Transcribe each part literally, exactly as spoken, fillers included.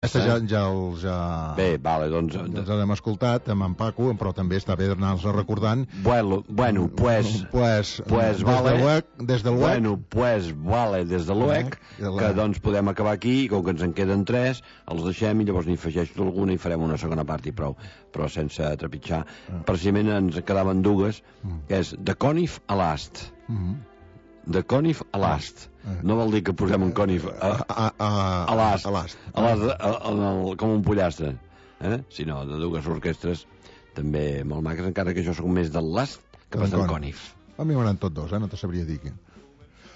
Aquesta ja, ja els ja... Bé, vale, doncs... Ja els hem escoltat amb en Paco, però també està bé anar-los recordant. Bueno, bueno, pues... Pues, pues des vale... De l'U E C, des de l'U E C... Bueno, pues vale, des de l'U E C, que doncs podem acabar aquí, i com que ens en queden tres, els deixem i llavors n'hi afegeixo alguna i farem una segona part i prou, però sense trepitjar. Ah. Precisament ens quedaven dues, mm. que és de Conif a Last. Mm. De Conif a Last. Ah. No vol dir que posem un Conif a, a, a, a Last, a l'ast, a l'ast, a, a, a, com un pollastre, eh? Sinó de dues orquestres també molt maques, encara que jo soc més del Last que pas del Conif. A mi m'agraden tots dos, eh? No te sabria dir què.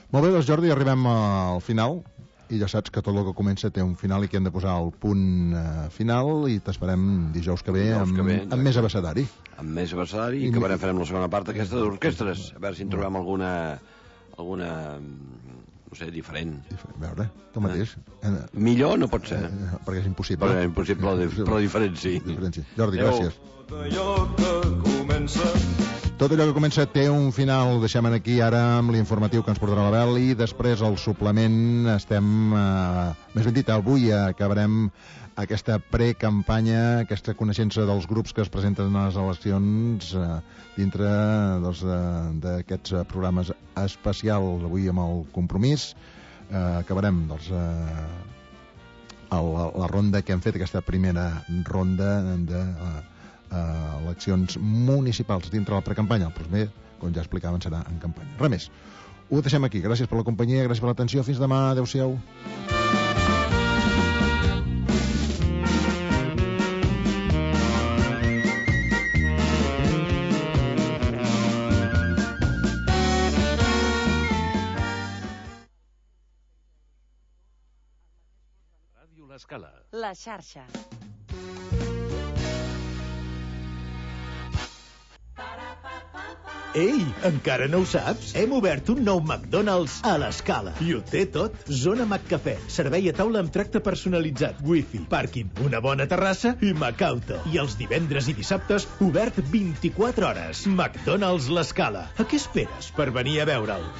Molt bé, doncs Jordi, arribem al final i ja saps que tot el que comença té un final i que hem de posar el punt eh, final i t'esperem dijous que ve, dijous amb, que ve amb més abecedari. Amb més abecedari i que farem farem la segona part d'aquesta d'orquestres, a veure si en trobem alguna alguna, no sé, diferent. A veure, tu mateix. Eh? Millor no pot ser. Eh, perquè és impossible. Perquè és impossible, però diferent sí. Diferent, sí. Jordi, gràcies. Tot allò que comença... Tot allò que comença té un final. Ho deixem aquí ara amb l'informatiu que ens portarà l'Abel i després el suplement estem... Eh, més ben dit, avui acabarem aquesta precampanya, aquesta coneixença dels grups que es presenten a les eleccions eh, dintre doncs, d'aquests eh, programes especials avui amb el Compromís. Eh, acabarem doncs, eh, el, la ronda que hem fet, aquesta primera ronda de eh, eh, eleccions municipals dintre la precampanya. El primer, com ja explicaven, serà en campanya. Res més. Ho deixem aquí. Gràcies per la companyia, gràcies per l'atenció. Fins demà. Adéu-siau. L'escala. La xarxa. Ei, encara no ho saps? Hem obert un nou McDonald's a l'Escala. I ho té tot. Zona McCafè, servei a taula amb tracte personalitzat, wifi, pàrquing, una bona terrassa i Macauto. I els divendres i dissabtes, obert vint-i-quatre hores. McDonald's l'Escala. A què esperes per venir a veure'l?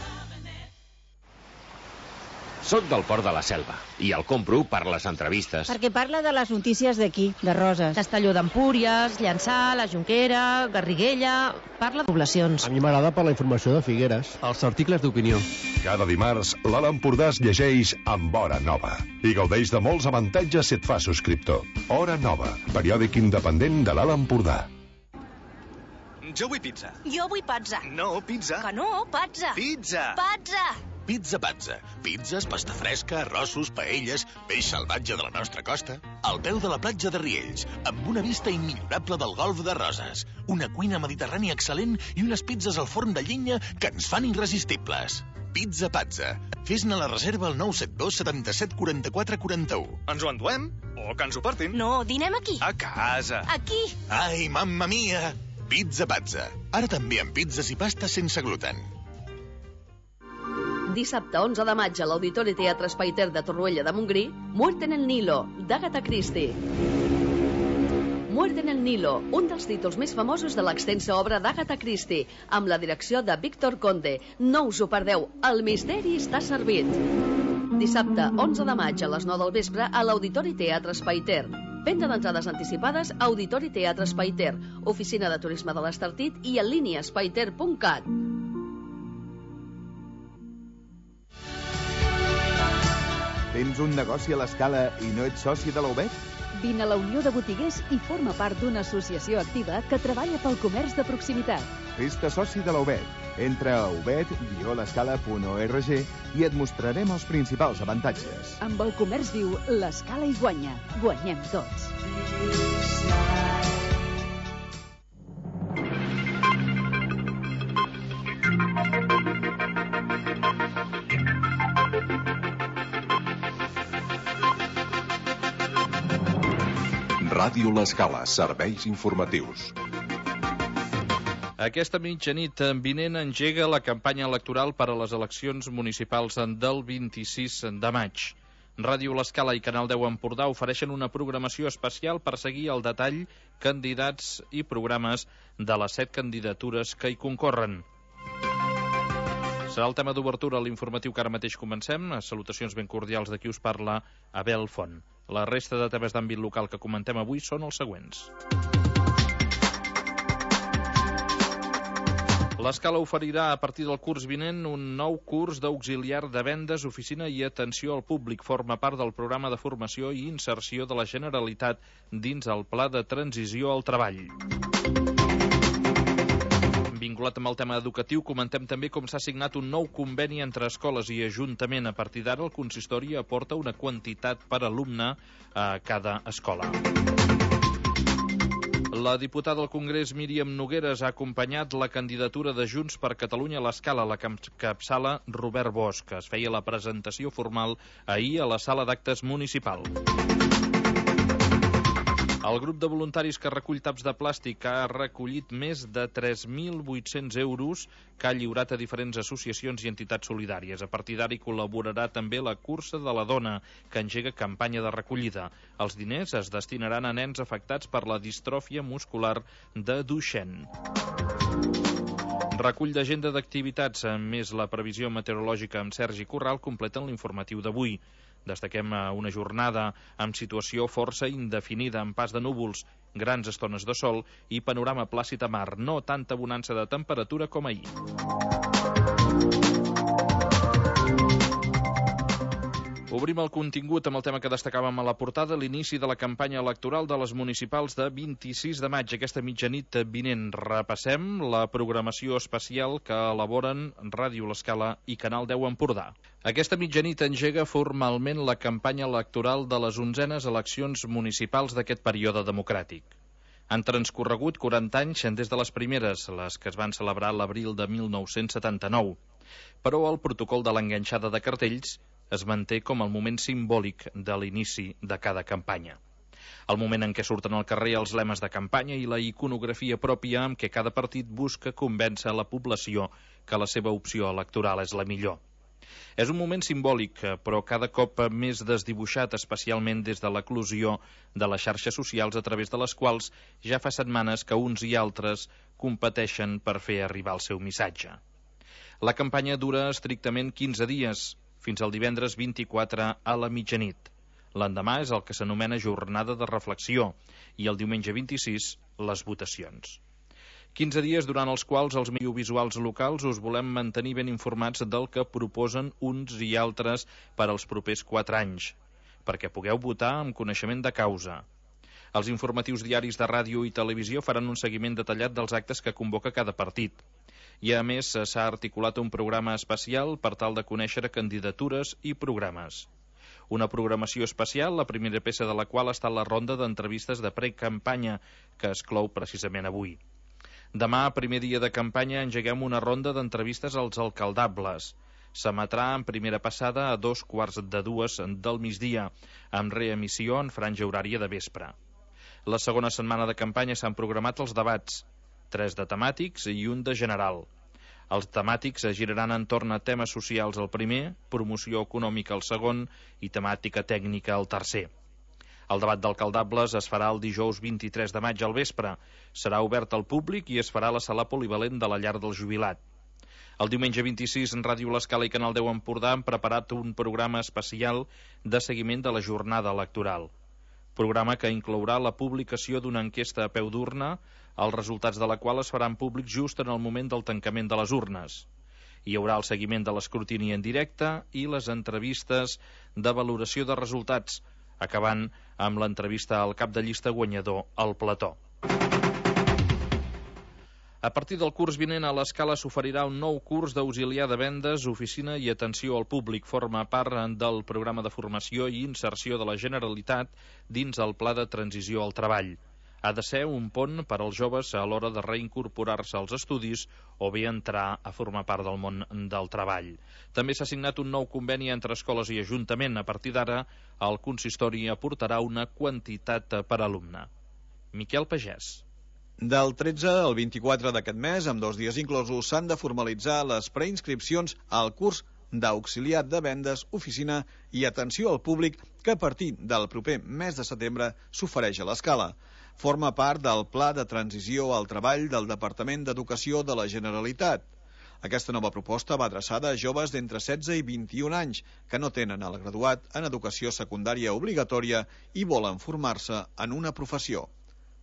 Soc del Port de la Selva i el compro per les entrevistes. Perquè parla de les notícies d'aquí, de Roses. Castelló d'Empúries, Llançà, la Jonquera, Garriguella... Parla de poblacions. A mi m'agrada per la informació de Figueres. Els articles d'opinió. Cada dimarts, l'Alt Empordà es llegeix amb Hora Nova i gaudeix de molts avantatges si et fa subscriptor. Hora Nova, periòdic independent de l'Alt Empordà. Jo vull pizza. Jo vull pizza. No, pizza. Que no, pizza. Pizza. Pizza. Pizza Pazza. Pizzas, pasta fresca, arrossos, paelles, peix salvatge de la nostra costa. Al peu de la platja de Riells, amb una vista immillorable del golf de Roses. Una cuina mediterrània excel·lent i unes pizzas al forn de llenya que ens fan irresistibles. Pizza Pazza. Fes-ne la reserva al nou set dos setanta-set quaranta-quatre quaranta-u. Ens ho enduem? O que ens ho portin? No, dinem aquí. A casa. Aquí. Ai, mamma mia! Pizza Pazza. Ara també amb pizzas i pastes sense gluten. Dissabte onze de maig a l'Auditori Teatre Espai Ter de Torroella de Montgrí, Muerte en el Nilo, d'Agatha Christie. Muerte en el Nilo, un dels títols més famosos de l'extensa obra d'Agatha Christie, amb la direcció de Víctor Conde. No us ho perdeu, el misteri està servit. Dissabte onze de maig a les nou del vespre a l'Auditori Teatre Espai Ter. Venda d'entrades anticipades a Auditori Teatre Espai Ter, oficina de turisme de l'Estartit i en línia espaiter punt cat. Tens un negoci a l'Escala i no ets soci de la U B E T? Vine a la Unió de Botiguers i forma part d'una associació activa que treballa pel comerç de proximitat. Fes-te soci de la U B E T. Entra a ubet guió l'escala punt org i et mostrarem els principals avantatges. Amb el comerç viu, l'Escala hi guanya. Guanyem tots. Ràdio L'Escala, serveis informatius. Aquesta mitjanit vinent engega la campanya electoral per a les eleccions municipals del vint-i-sis de maig. Ràdio L'Escala i Canal deu Empordà ofereixen una programació especial per seguir al detall candidats i programes de les set candidatures que hi concorren. Serà el tema d'obertura a l'informatiu que ara mateix comencem. Salutacions ben cordials de qui us parla, Abel Font. La resta de temes d'àmbit local que comentem avui són els següents. L'Escala oferirà a partir del curs vinent un nou curs d'auxiliar de vendes, oficina i atenció al públic. Forma part del programa de formació i inserció de la Generalitat dins el Pla de Transició al Treball. Vinculat amb el tema educatiu, comentem també com s'ha signat un nou conveni entre escoles i Ajuntament. A partir d'ara, el consistori aporta una quantitat per alumne a cada escola. La diputada al Congrés Míriam Nogueras ha acompanyat la candidatura de Junts per Catalunya a l'Escala, la que encapçala Robert Bosch, que es feia la presentació formal ahir a la sala d'actes municipal. El grup de voluntaris que recull taps de plàstic ha recollit més de tres mil vuit-cents euros que ha lliurat a diferents associacions i entitats solidàries. A partir d'ara hi col·laborarà també la Cursa de la Dona, que engega campanya de recollida. Els diners es destinaran a nens afectats per la distròfia muscular de Duchenne. Recull d'agenda d'activitats, més la previsió meteorològica amb Sergi Corral, completen l'informatiu d'avui. Destaquem una jornada amb situació força indefinida, amb pas de núvols, grans estones de sol i panorama plàcid a mar, no tanta bonança de temperatura com ahir. Obrim el contingut amb el tema que destacàvem a la portada, l'inici de la campanya electoral de les municipals de vint-i-sis de maig, aquesta mitjanit vinent. Repassem la programació especial que elaboren Ràdio l'Escala i Canal deu Empordà. Aquesta mitjanit engega formalment la campanya electoral de les onzenes eleccions municipals d'aquest període democràtic. Han transcorregut quaranta anys des de les primeres, les que es van celebrar l'abril de mil nou-cents setanta-nou. Però el protocol de l'enganxada de cartells es manté com el moment simbòlic de l'inici de cada campanya. El moment en què surten al carrer els lemes de campanya i la iconografia pròpia amb què cada partit busca convèncer la població que la seva opció electoral és la millor. És un moment simbòlic, però cada cop més desdibuixat, especialment des de l'eclosió de les xarxes socials a través de les quals ja fa setmanes que uns i altres competeixen per fer arribar el seu missatge. La campanya dura estrictament quinze dies, fins al divendres vint-i-quatre a la mitjanit. L'endemà és el que s'anomena jornada de reflexió i el diumenge vint-i-sis les votacions. quinze dies durant els quals els audiovisuals locals us volem mantenir ben informats del que proposen uns i altres per als propers quatre anys, perquè pugueu votar amb coneixement de causa. Els informatius diaris de ràdio i televisió faran un seguiment detallat dels actes que convoca cada partit. I a més s'ha articulat un programa especial per tal de conèixer candidatures i programes. Una programació especial, la primera peça de la qual està la ronda d'entrevistes de precampanya, que es clou precisament avui. Demà, primer dia de campanya, engeguem una ronda d'entrevistes als alcaldables. S'emetrà en primera passada a dos quarts de dues del migdia, amb reemissió en franja horària de vespre. La segona setmana de campanya s'han programat els debats, tres de temàtics i un de general. Els temàtics es giraran entorn a temes socials el primer, promoció econòmica el segon i temàtica tècnica el tercer. El debat d'alcaldables es farà el dijous vint-i-tres de maig al vespre. Serà obert al públic i es farà a la sala polivalent de la Llar del Jubilat. El diumenge vint-i-sis, en Ràdio l'Escala i Canal deu Empordà han preparat un programa especial de seguiment de la jornada electoral. Programa que inclourà la publicació d'una enquesta a peu d'urna, els resultats de la qual es faran públics just en el moment del tancament de les urnes. Hi haurà el seguiment de l'escrutini en directe i les entrevistes de valoració de resultats, acabant amb l'entrevista al cap de llista guanyador, al plató. A partir del curs vinent a l'Escala s'oferirà un nou curs d'auxiliar de vendes, oficina i atenció al públic. Forma part del programa de formació i inserció de la Generalitat dins el Pla de Transició al Treball. Ha de ser un pont per als joves a l'hora de reincorporar-se als estudis o bé entrar a formar part del món del treball. També s'ha signat un nou conveni entre escoles i Ajuntament. A partir d'ara, el consistori aportarà una quantitat per alumne. Miquel Pagès. Del tretze al vint-i-quatre d'aquest mes, amb dos dies inclosos, s'han de formalitzar les preinscripcions al curs d'auxiliar de vendes, oficina i atenció al públic que a partir del proper mes de setembre s'ofereix a l'Escala. Forma part del Pla de Transició al Treball del Departament d'Educació de la Generalitat. Aquesta nova proposta va adreçada a joves d'entre setze i vint-i-un anys que no tenen el graduat en educació secundària obligatòria i volen formar-se en una professió.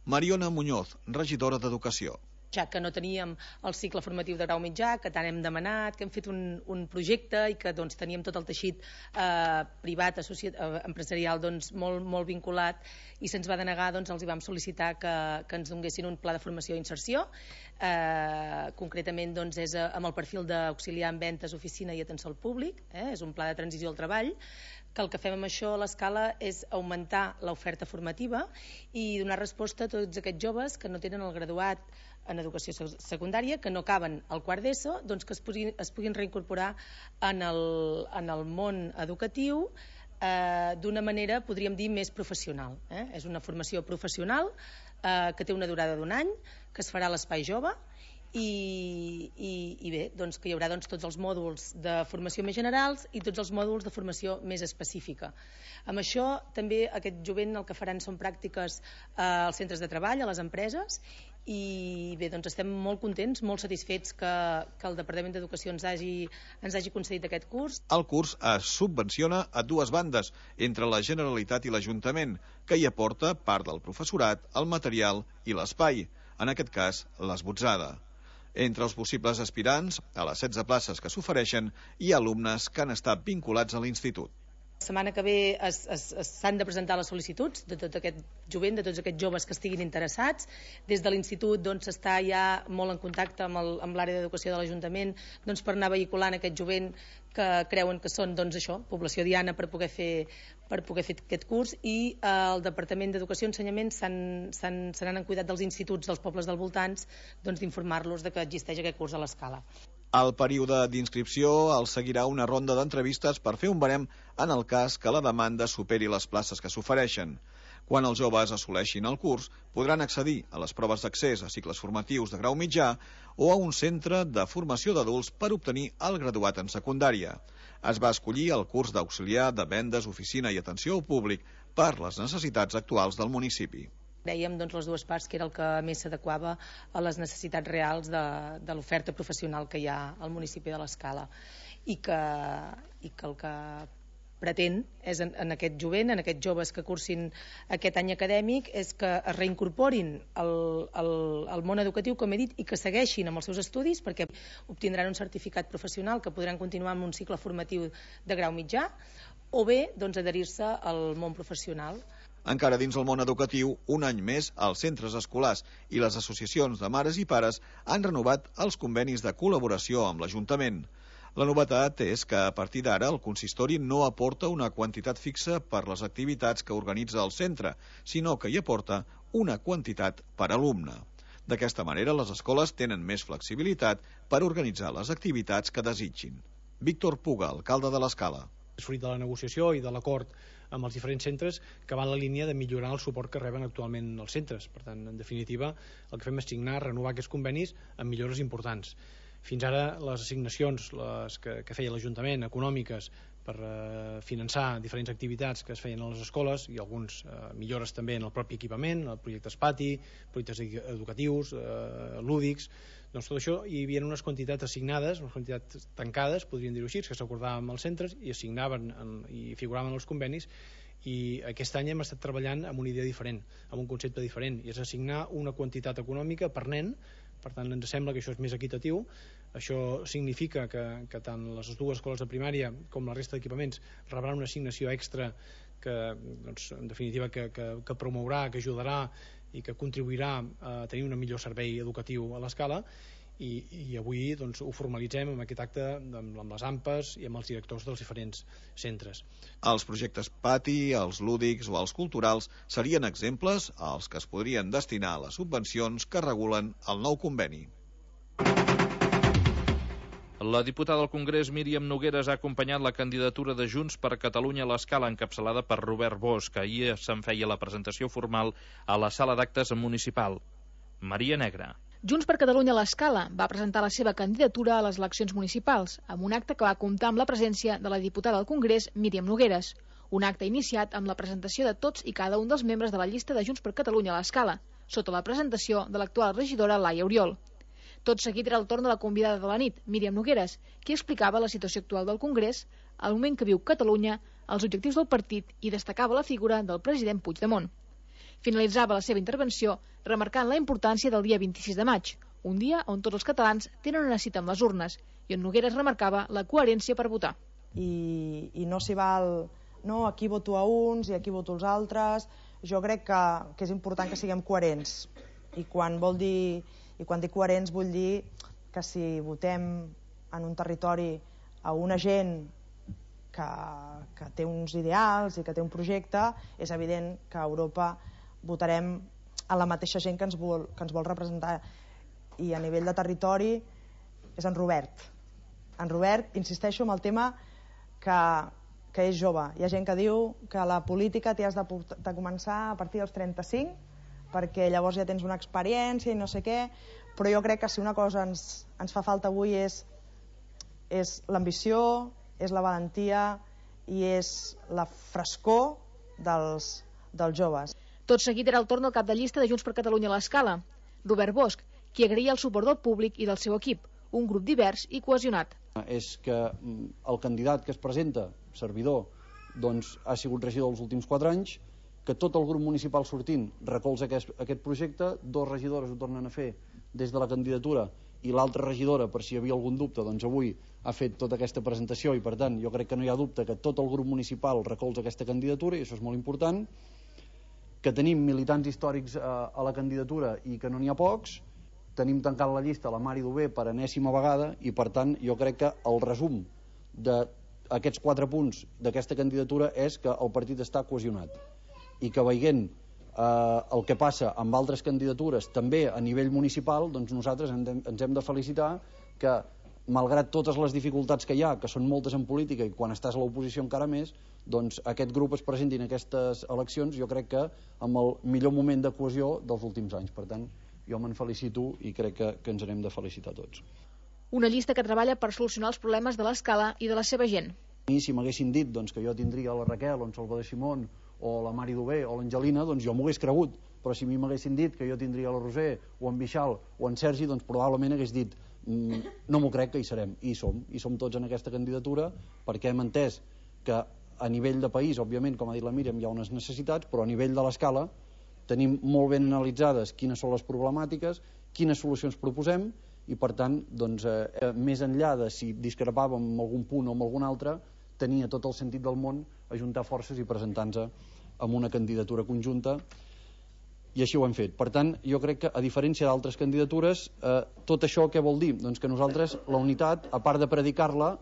Mariona Muñoz, regidora d'Educació. Ja que no teníem el cicle formatiu de grau mitjà, que tant hem demanat, que hem fet un, un projecte i que doncs, teníem tot el teixit eh, privat, associat, eh, empresarial doncs, molt, molt vinculat, i se'ns va denegar, doncs, els hi vam sol·licitar que, que ens donessin un pla de formació i inserció. Eh, concretament doncs, és amb el perfil d'auxiliar en ventes, oficina i atenció al públic, eh, és un pla de transició al treball, que el que fem amb això a l'escala és augmentar l'oferta formativa i donar resposta a tots aquests joves que no tenen el graduat en educació secundària, que no acaben el quart d'ESO, doncs que es puguin, es puguin reincorporar en el, en el món educatiu eh, d'una manera, podríem dir, més professional. Eh? És una formació professional eh, que té una durada d'un any, que es farà a l'Espai Jove, I, i, i bé, doncs que hi haurà doncs, tots els mòduls de formació més generals i tots els mòduls de formació més específica. Amb això també aquest jovent el que faran són pràctiques eh, als centres de treball, a les empreses, i bé, doncs estem molt contents, molt satisfets que, que el Departament d'Educació ens hagi, ens hagi concedit aquest curs. El curs es subvenciona a dues bandes, entre la Generalitat i l'Ajuntament, que hi aporta part del professorat, el material i l'espai, en aquest cas l'esbotzada. Entre els possibles aspirants, a les setze places que s'ofereixen, hi ha alumnes que han estat vinculats a l'institut. La setmana que ve s'han de presentar les sol·licituds de tot aquest jovent, de tots aquests joves que estiguin interessats. Des de l'institut doncs, s'està ja molt en contacte amb, el, amb l'àrea d'educació de l'Ajuntament doncs, per anar vehiculant aquest jovent que creuen que són doncs, això, població diana per poder fer, per poder fer aquest curs, i eh, el Departament d'Educació i Ensenyament se n'han cuidat dels instituts dels pobles del voltants doncs, d'informar-los de que existeix aquest curs a l'escala. El període d'inscripció el seguirà una ronda d'entrevistes per fer un barem en el cas que la demanda superi les places que s'ofereixen. Quan els joves assoleixin el curs, podran accedir a les proves d'accés a cicles formatius de grau mitjà o a un centre de formació d'adults per obtenir el graduat en secundària. Es va escollir el curs d'auxiliar de vendes, oficina i atenció al públic per les necessitats actuals del municipi. Dèiem doncs, les dues parts que era el que més s'adequava a les necessitats reals de, de l'oferta professional que hi ha al municipi de l'Escala i que, i que el que pretén és en, en aquest jovent, en aquests joves que cursin aquest any acadèmic, és que es reincorporin al, al, al món educatiu, com he dit, i que segueixin amb els seus estudis perquè obtindran un certificat professional que podran continuar amb un cicle formatiu de grau mitjà o bé doncs, adherir-se al món professional. Encara dins el món educatiu, un any més, els centres escolars i les associacions de mares i pares han renovat els convenis de col·laboració amb l'Ajuntament. La novetat és que a partir d'ara el consistori no aporta una quantitat fixa per les activitats que organitza el centre, sinó que hi aporta una quantitat per alumne. D'aquesta manera, les escoles tenen més flexibilitat per organitzar les activitats que desitgin. Víctor Puga, alcalde de l'Escala. És fruit de la negociació i de l'acord amb els diferents centres que van en la línia de millorar el suport que reben actualment els centres. Per tant, en definitiva, el que fem és signar, renovar aquests convenis amb millores importants. Fins ara les assignacions les que, que feia l'Ajuntament, econòmiques, per eh, finançar diferents activitats que es feien a les escoles i alguns eh, millores també en el propi equipament, projectes pati, projectes educatius, eh, lúdics, doncs tot això hi havia unes quantitats assignades, unes quantitats tancades, podríem dir-ho així, que s'acordaven amb els centres i assignaven en, i figuraven els convenis, i aquest any hem estat treballant amb una idea diferent, amb un concepte diferent, i és assignar una quantitat econòmica per nen. Per tant, ens sembla que això és més equitatiu. Això significa que, que tant les dues escoles de primària com la resta d'equipaments rebran una assignació extra que, doncs, en definitiva, que, que, que promourà, que ajudarà i que contribuirà a tenir un millor servei educatiu a l'Escala. I, i avui doncs, ho formalitzem amb aquest acte amb, amb les A M Pes i amb els directors dels diferents centres. Els projectes pati, els lúdics o els culturals serien exemples als que es podrien destinar a les subvencions que regulen el nou conveni. La diputada al Congrés Míriam Nogueras ha acompanyat la candidatura de Junts per Catalunya a l'Escala encapçalada per Robert Bosch, que ahir se'n feia la presentació formal a la sala d'actes municipal. Maria Negra. Junts per Catalunya a l'Escala va presentar la seva candidatura a les eleccions municipals, amb un acte que va comptar amb la presència de la diputada al Congrés, Míriam Nogueras. Un acte iniciat amb la presentació de tots i cada un dels membres de la llista de Junts per Catalunya a l'Escala, sota la presentació de l'actual regidora Laia Oriol. Tot seguit era el torn de la convidada de la nit, Míriam Nogueres, qui explicava la situació actual del Congrés, el moment que viu Catalunya, els objectius del partit i destacava la figura del president Puigdemont. Finalitzava la seva intervenció remarcant la importància del dia vint-i-sis de maig, un dia on tots els catalans tenen una cita amb les urnes, i on Nogueres remarcava la coherència per votar. I, i no s'hi val, no, aquí voto a uns i aquí voto als altres. Jo crec que, que és important que siguem coherents, i quan vol dir, i quan dic coherents vull dir que si votem en un territori a una gent que, que té uns ideals i que té un projecte, és evident que a Europa votarem a la mateixa gent que ens vol, que ens vol representar. I a nivell de territori és en Robert. En Robert, insisteixo en el tema que, que és jove. Hi ha gent que diu que la política t'hi has de, de començar a partir dels trenta-cinc, perquè llavors ja tens una experiència i no sé què, però jo crec que si una cosa ens, ens fa falta avui és, és l'ambició, és la valentia i és la frescor dels, dels joves. Tot seguit era el torn del cap de llista de Junts per Catalunya a l'Escala, Robert Bosch, qui agraïa el suport del públic i del seu equip, un grup divers i cohesionat. És que el candidat que es presenta, servidor, doncs ha sigut regidor els últims quatre anys, que tot el grup municipal sortint recolza aquest, aquest projecte, dos regidores ho tornen a fer des de la candidatura i l'altra regidora, per si hi havia algun dubte, doncs avui ha fet tota aquesta presentació i per tant jo crec que no hi ha dubte que tot el grup municipal recolza aquesta candidatura i això és molt important, que tenim militants històrics a, a la candidatura i que no n'hi ha pocs, tenim tancat la llista la Mari Dové per enèsima vegada i per tant jo crec que el resum d'aquests quatre punts d'aquesta candidatura és que el partit està cohesionat i que veient eh, el que passa amb altres candidatures també a nivell municipal, doncs nosaltres ens hem, ens hem de felicitar que malgrat totes les dificultats que hi ha, que són moltes en política i quan estàs a l'oposició encara més, doncs aquest grup es presenti en aquestes eleccions jo crec que amb el millor moment de cohesió dels últims anys. Per tant, jo me'n felicito i crec que, que ens n'hem de felicitar tots. Una llista que treballa per solucionar els problemes de l'Escala i de la seva gent. I si m'haguessin dit doncs, que jo tindria la Raquel o en Salvador Simón o la Mari Dové o l'Angelina, doncs jo m'ho hagués cregut, però si a mi m'haguessin dit que jo tindria la Roser o en Bixal o en Sergi, doncs probablement hagués dit mm, no m'ho crec que hi serem, i hi som i som tots en aquesta candidatura perquè hem entès que a nivell de país, òbviament, com ha dit la Míriam, hi ha unes necessitats, però a nivell de l'Escala tenim molt ben analitzades quines són les problemàtiques, quines solucions proposem i per tant, doncs, eh, més enllà de si discrepàvem amb algun punt o amb algun altre, tenia tot el sentit del món ajuntar forces i presentar-nos amb una candidatura conjunta i així ho hem fet. Per tant, jo crec que a diferència d'altres candidatures, eh, tot això què vol dir? Doncs que nosaltres la unitat, a part de predicar-la,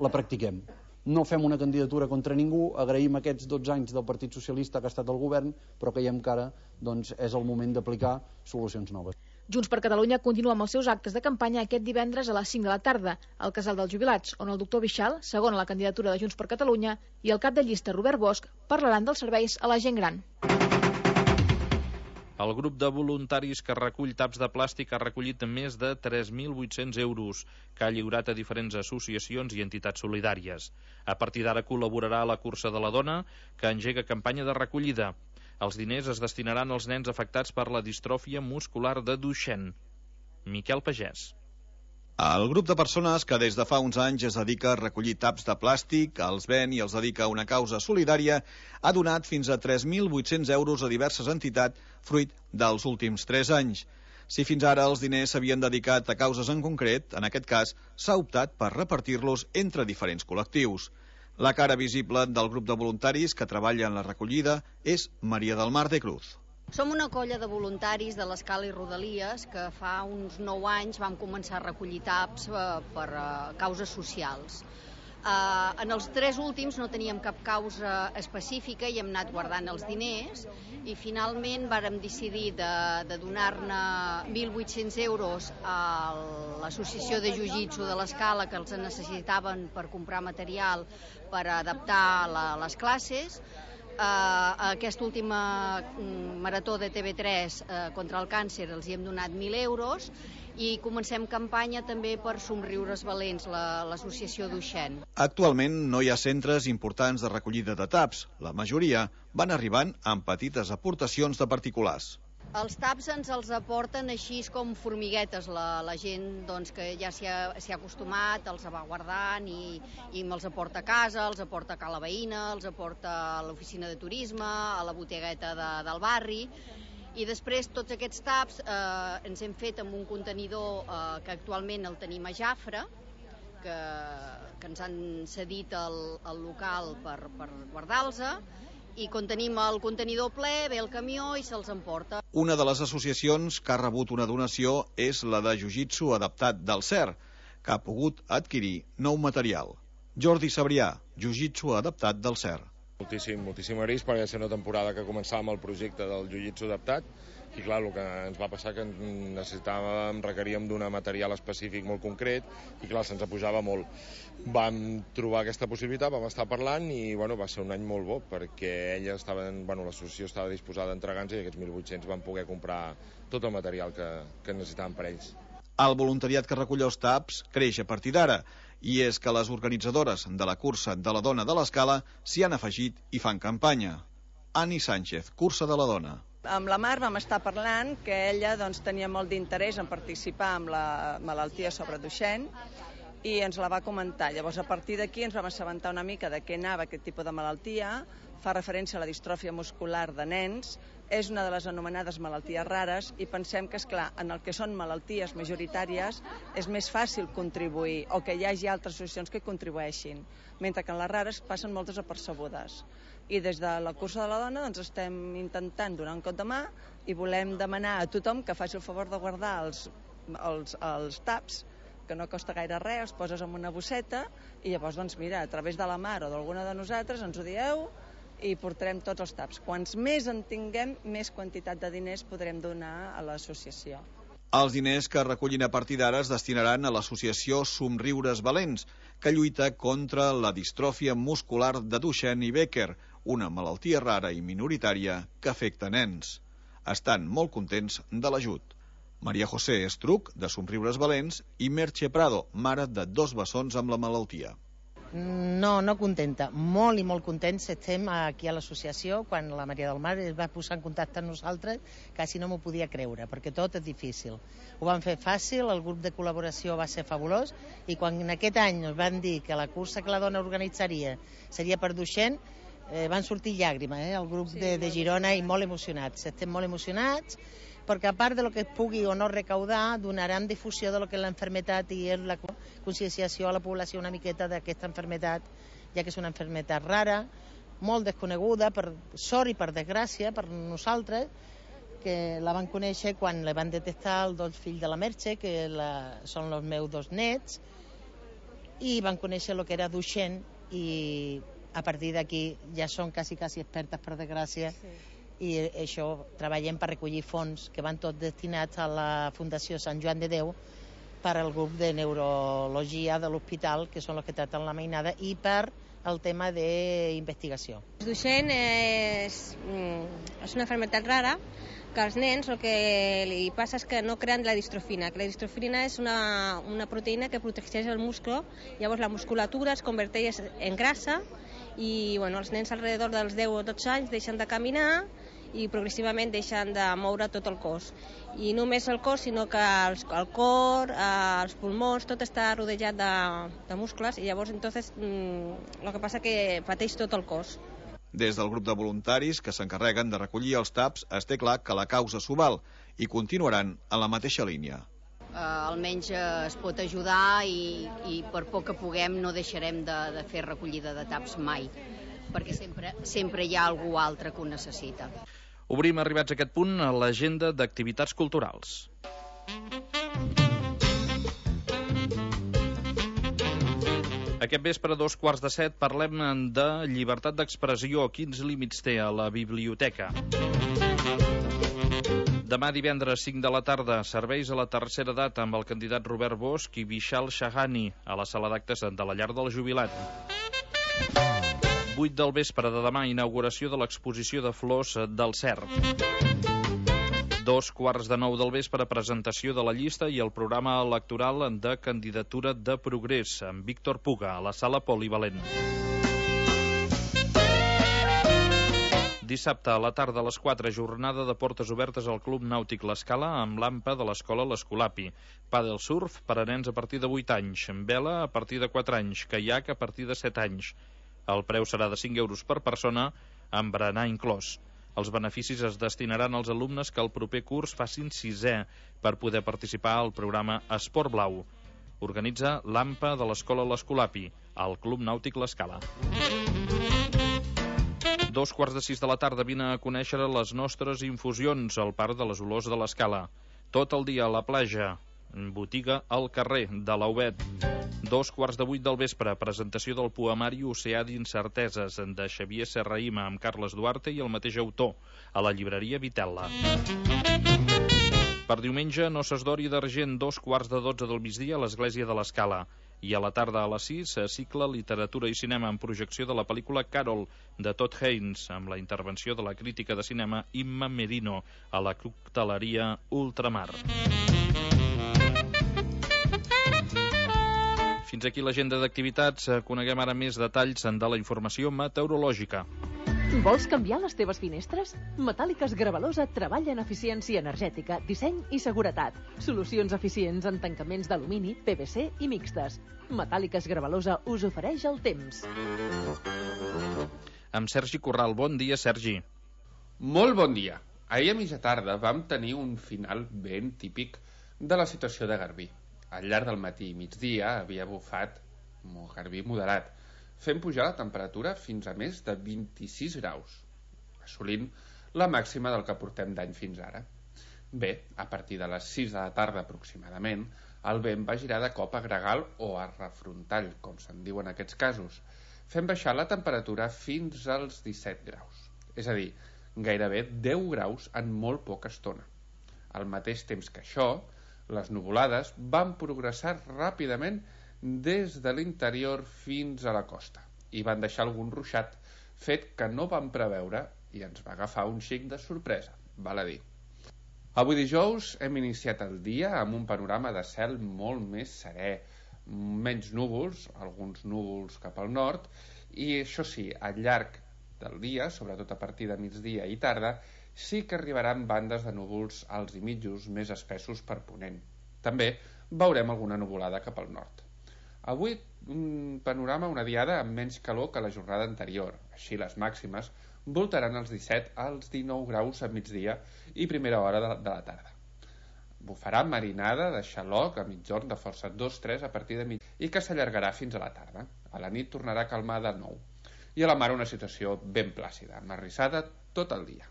la practiquem. No fem una candidatura contra ningú, agraïm aquests dotze anys del Partit Socialista que ha estat al govern, però creiem que ara doncs, és el moment d'aplicar solucions noves. Junts per Catalunya continua amb els seus actes de campanya aquest divendres a les cinc de la tarda, al Casal dels Jubilats, on el doctor Bixal, segon a la candidatura de Junts per Catalunya, i el cap de llista Robert Bosch parlaran dels serveis a la gent gran. El grup de voluntaris que recull taps de plàstic ha recollit més de tres mil vuit-cents euros que ha lliurat a diferents associacions i entitats solidàries. A partir d'ara col·laborarà a la Cursa de la Dona, que engega campanya de recollida. Els diners es destinaran als nens afectats per la distròfia muscular de Duchenne. Miquel Pagès. El grup de persones que des de fa uns anys es dedica a recollir taps de plàstic, els ven i els dedica a una causa solidària, ha donat fins a tres mil vuit-cents euros a diverses entitats fruit dels últims tres anys. Si fins ara els diners s'havien dedicat a causes en concret, en aquest cas s'ha optat per repartir-los entre diferents col·lectius. La cara visible del grup de voluntaris que treballa en la recollida és Maria del Mar de Cruz. Som una colla de voluntaris de l'Escala i Rodalies que fa uns nou anys vam començar a recollir taps per causes socials. En els tres últims no teníem cap causa específica i hem anat guardant els diners i finalment vàrem decidir de, de donar-ne mil vuit-cents euros a l'associació de jiu-jitsu de l'Escala que els necessitaven per comprar material per adaptar la, les classes. Uh, aquesta última uh, marató de T V tres uh, contra el càncer els hi hem donat mil euros i comencem campanya també per Somriures Valents, l'associació la, Duchenne. Actualment no hi ha centres importants de recollida de taps. La majoria van arribant amb petites aportacions de particulars. Els taps ens els aporten així com formiguetes. La, la gent doncs, que ja s'hi ha, s'hi ha acostumat, els va guardant i, i me'ls aporta a casa, els aporta a la veïna, els aporta a l'oficina de turisme, a la botegueta de, del barri. I després tots aquests taps eh, ens hem fet amb un contenidor eh, que actualment el tenim a Jafre, que, que ens han cedit el, el local per, per guardar-los, i quan tenim el contenidor ple, ve el camió i se'ls emporta. Una de les associacions que ha rebut una donació és la de Jiu-Jitsu adaptat del C E R, que ha pogut adquirir nou material. Jordi Sabrià, Jiu-Jitsu adaptat del C E R. Moltíssim, moltíssim risc, perquè va ser una temporada que començàvem el projecte del Jiu-Jitsu adaptat, i clar, el que ens va passar que necessitàvem, requeríem d'un material específic molt concret, i clar, se'ns apujava molt. Vam trobar aquesta possibilitat, vam estar parlant, i bueno, va ser un any molt bo, perquè ella estava, bueno, l'associació estava disposada a entregar-nos, i aquests mil vuit-cents van poder comprar tot el material que, que necessitàvem per ells. El voluntariat que recull els taps creix a partir d'ara, i és que les organitzadores de la cursa de la dona de l'Escala s'hi han afegit i fan campanya. Ani Sánchez, cursa de la dona. Amb la Mar vam estar parlant que ella doncs, tenia molt d'interès en participar amb la malaltia sobre Duchenne i ens la va comentar. Llavors, a partir d'aquí ens vam assabentar una mica de què anava aquest tipus de malaltia. Fa referència a la distròfia muscular de nens, és una de les anomenades malalties rares i pensem que, esclar, en el que són malalties majoritàries és més fàcil contribuir o que hi hagi altres associacions que contribueixin, mentre que en les rares passen molt desapercebudes. I des de la cursa de la dona doncs, estem intentant donar un cop de mà i volem demanar a tothom que faci el favor de guardar els, els, els taps, que no costa gaire res, els poses en una bosseta i llavors, doncs, mira, a través de la Mar o d'alguna de nosaltres ens ho dieu i portarem tots els taps. Quants més en tinguem, més quantitat de diners podrem donar a l'associació. Els diners que recullin a partir d'ara es destinaran a l'associació Somriures Valents, que lluita contra la distròfia muscular de Duchenne i Becker, una malaltia rara i minoritària que afecta nens. Estan molt contents de l'ajut. Maria José Estruc, de Somriures Valents, i Merche Prado, mare de dos bessons amb la malaltia. No, no contenta. Molt i molt contents estem aquí a l'associació. Quan la Maria del Mar es va posar en contacte amb nosaltres, quasi no m'ho podia creure, perquè tot és difícil. Ho van fer fàcil, el grup de col·laboració va ser fabulós, i quan en aquest any ens van dir que la cursa que la dona organitzaria seria per Duchenne, eh, van sortir llàgrimes, eh, el grup sí, de, de Girona, i molt emocionats. Estem molt emocionats, perquè a part de lo que es pugui o no recaudar, donaran difusió de lo que és l'enfermetat i és la conscienciació a la població una miqueta d'aquesta enfermetat, ja que és una enfermetat rara, molt desconeguda, per sort i per desgràcia, per nosaltres, que la van conèixer quan la van detectar els dos fills de la Merche, que la, són els meus dos nets, i van conèixer el que era Duchenne, i a partir d'aquí ja són quasi, quasi expertes, per desgràcia, sí. I això treballem per recollir fons que van tots destinats a la Fundació Sant Joan de Déu per al grup de neurologia de l'hospital, que són els que tracten la mainada, i per el tema d'investigació. Duchenne és, és una malaltia rara que als nens el que li passa és que no creen la distrofina, que la distrofina és una, una proteïna que protegeix el múscul, llavors la musculatura es converteix en grassa i bueno, els nens alrededor dels deu o dotze anys deixen de caminar i progressivament deixen de moure tot el cos. I no només el cos, sinó que el, el cor, eh, els pulmons, tot està rodejat de, de muscles, i llavors entonces mm, el que passa que pateix tot el cos. Des del grup de voluntaris que s'encarreguen de recollir els taps es té clar que la causa s'ho val i continuaran en la mateixa línia. Uh, almenys uh, es pot ajudar i, i per poc que puguem no deixarem de, de fer recollida de taps mai, perquè sempre, sempre hi ha algú altre que ho necessita. Obrim, arribats a aquest punt, a l'agenda d'activitats culturals. Aquest vespre, a dos quarts de set, parlem de llibertat d'expressió. Quins límits té a la biblioteca? Demà divendres, cinc de la tarda, serveis a la tercera edat amb el candidat Robert Bosch i Vishal Shahani a la sala d'actes de la llar del jubilat. vuit del vespre de demà, inauguració de l'exposició de flors del Cert. Dos quarts de nou del vespre, presentació de la llista i el programa electoral de candidatura de Progrés amb Víctor Puga a la sala polivalent. Dissabte a la tarda a les quatre, jornada de portes obertes al Club Nàutic L'Escala amb l'Ampa de l'Escola L'Escolapi. Padel surf per a nens a partir de vuit anys, vela a partir de quatre anys, caiac a partir de set anys. El preu serà de cinc euros per persona, amb berenar inclòs. Els beneficis es destinaran als alumnes que el proper curs facin sisè per poder participar al programa Esport Blau. Organitza l'Ampa de l'Escola L'Escolapi, al Club Nàutic L'Escala. Dos quarts de sis de la tarda vine a conèixer les nostres infusions al Parc de les Olors de l'Escala. Tot el dia a la platja, botiga al carrer de l'Aubet. Dos quarts de vuit del vespre, presentació del poemari Oceà d'incerteses de Xavier Serrahima amb Carles Duarte i el mateix autor, a la llibreria Vitella. Per diumenge, Noces d'Or i d'Argent, dos quarts de dotze del migdia a l'Església de l'Escala. I a la tarda a les sis, cicle Literatura i Cinema amb projecció de la pel·lícula Carol, de Todd Haynes, amb la intervenció de la crítica de cinema Imma Merino, a la cocteleria Ultramar. Fins aquí l'agenda d'activitats. Coneguem ara més detalls de la informació meteorològica. Vols canviar les teves finestres? Metàl·liques Gravalosa treballa en eficiència energètica, disseny i seguretat. Solucions eficients en tancaments d'alumini, P V C i mixtes. Metàl·liques Gravalosa us ofereix el temps. Amb Sergi Corral. Bon dia, Sergi. Molt bon dia. Ahir a mitja tarda vam tenir un final ben típic de la situació de Garbí. Al llarg del matí i migdia havia bufat un garbí moderat, fent pujar la temperatura fins a més de vint-i-sis graus, assolint la màxima del que portem d'any fins ara. Bé, a partir de les sis de la tarda aproximadament, el vent va girar de cop a gregal o a refrontall, com se'n diu en aquests casos, fent baixar la temperatura fins als disset graus. És a dir, gairebé deu graus en molt poca estona. Al mateix temps que això, les nuvolades van progressar ràpidament des de l'interior fins a la costa i van deixar algun ruixat, fet que no vam preveure i ens va agafar un xic de sorpresa, val a dir. Avui dijous hem iniciat el dia amb un panorama de cel molt més serè, menys núvols, alguns núvols cap al nord, i això sí, al llarg del dia, sobretot a partir de migdia i tarda, sí que arribaran bandes de núvols alts i mitjos més espessos per ponent. També veurem alguna nuvolada cap al nord. Avui un panorama, una diada amb menys calor que la jornada anterior. Així les màximes voltaran els disset als dinou graus a migdia i primera hora de la, de la tarda. Bufarà marinada de xaloc a migjorn de força dos tres a partir de mig i que s'allargarà fins a la tarda. A la nit tornarà a calmar de nou. I a la mar una situació ben plàcida, marrissada tot el dia.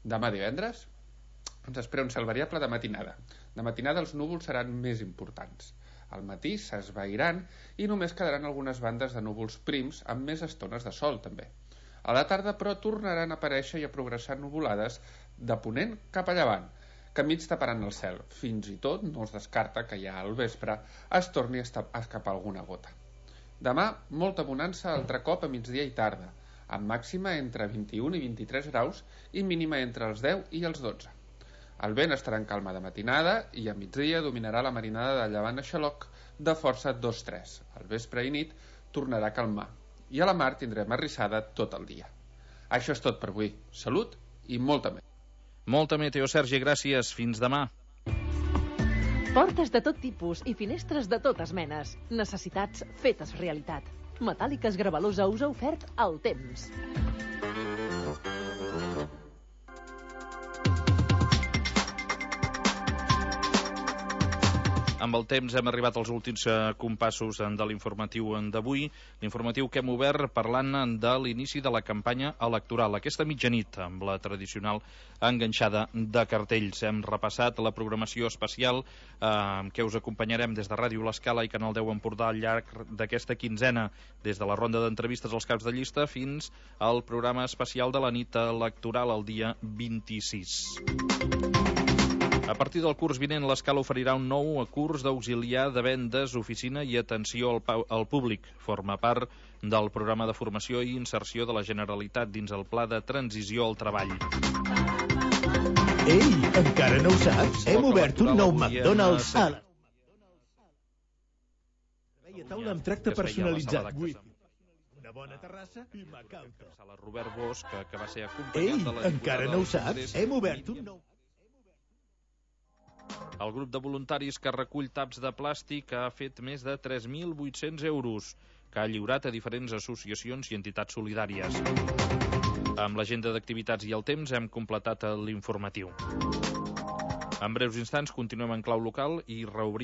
Demà divendres ens espera un cel variable de matinada. De matinada els núvols seran més importants. Al matí s'esvairan i només quedaran algunes bandes de núvols prims amb més estones de sol també. A la tarda però tornaran a aparèixer i a progressar nuvolades de ponent cap a llevant, que mig taparan el cel. Fins i tot no es descarta que ja al vespre es torni a escapar alguna gota. Demà molta bonança altre cop a migdia i tarda, amb màxima entre vint-i-un i vint-i-tres graus i mínima entre els deu i els dotze. El vent estarà en calma de matinada i a migdia dominarà la marinada de llevant a xaloc de força dos tres. Al vespre i nit tornarà a calmar i a la mar tindrem arrissada tot el dia. Això és tot per avui. Salut i molta meteo. Molta meteo, Sergi, gràcies. Fins demà. Portes de tot tipus i finestres de totes menes. Necessitats fetes realitat. Metàl·liques Gravalosa us ha ofert el temps. Amb el temps hem arribat als últims compassos de l'informatiu d'avui, l'informatiu que hem obert parlant de l'inici de la campanya electoral. Aquesta mitjanit, amb la tradicional enganxada de cartells. Hem repassat la programació especial eh, que us acompanyarem des de Ràdio L'Escala i Canal deu Empordà al llarg d'aquesta quinzena, des de la ronda d'entrevistes als caps de llista fins al programa especial de la nit electoral el dia vint-i-sis. A partir del curs vinent, l'Escala oferirà un nou curs d'auxiliar de vendes, oficina i atenció al, al públic. Forma part del programa de formació i inserció de la Generalitat dins el Pla de Transició al Treball. Ei, encara no ho saps? Hem obert un nou McDonald's a la... Taula amb tracte personalitzat. una bona terrassa i m'acauto. Sala Robert Bosch, que, que va ser acompanyat Ei, de la encara no ho saps? Hem obert un nou... El grup de voluntaris que recull taps de plàstic ha fet més de tres mil vuit-cents euros, que ha lliurat a diferents associacions i entitats solidàries. Amb l'agenda d'activitats i el temps hem completat l'informatiu. En breus instants continuem en clau local i reobrim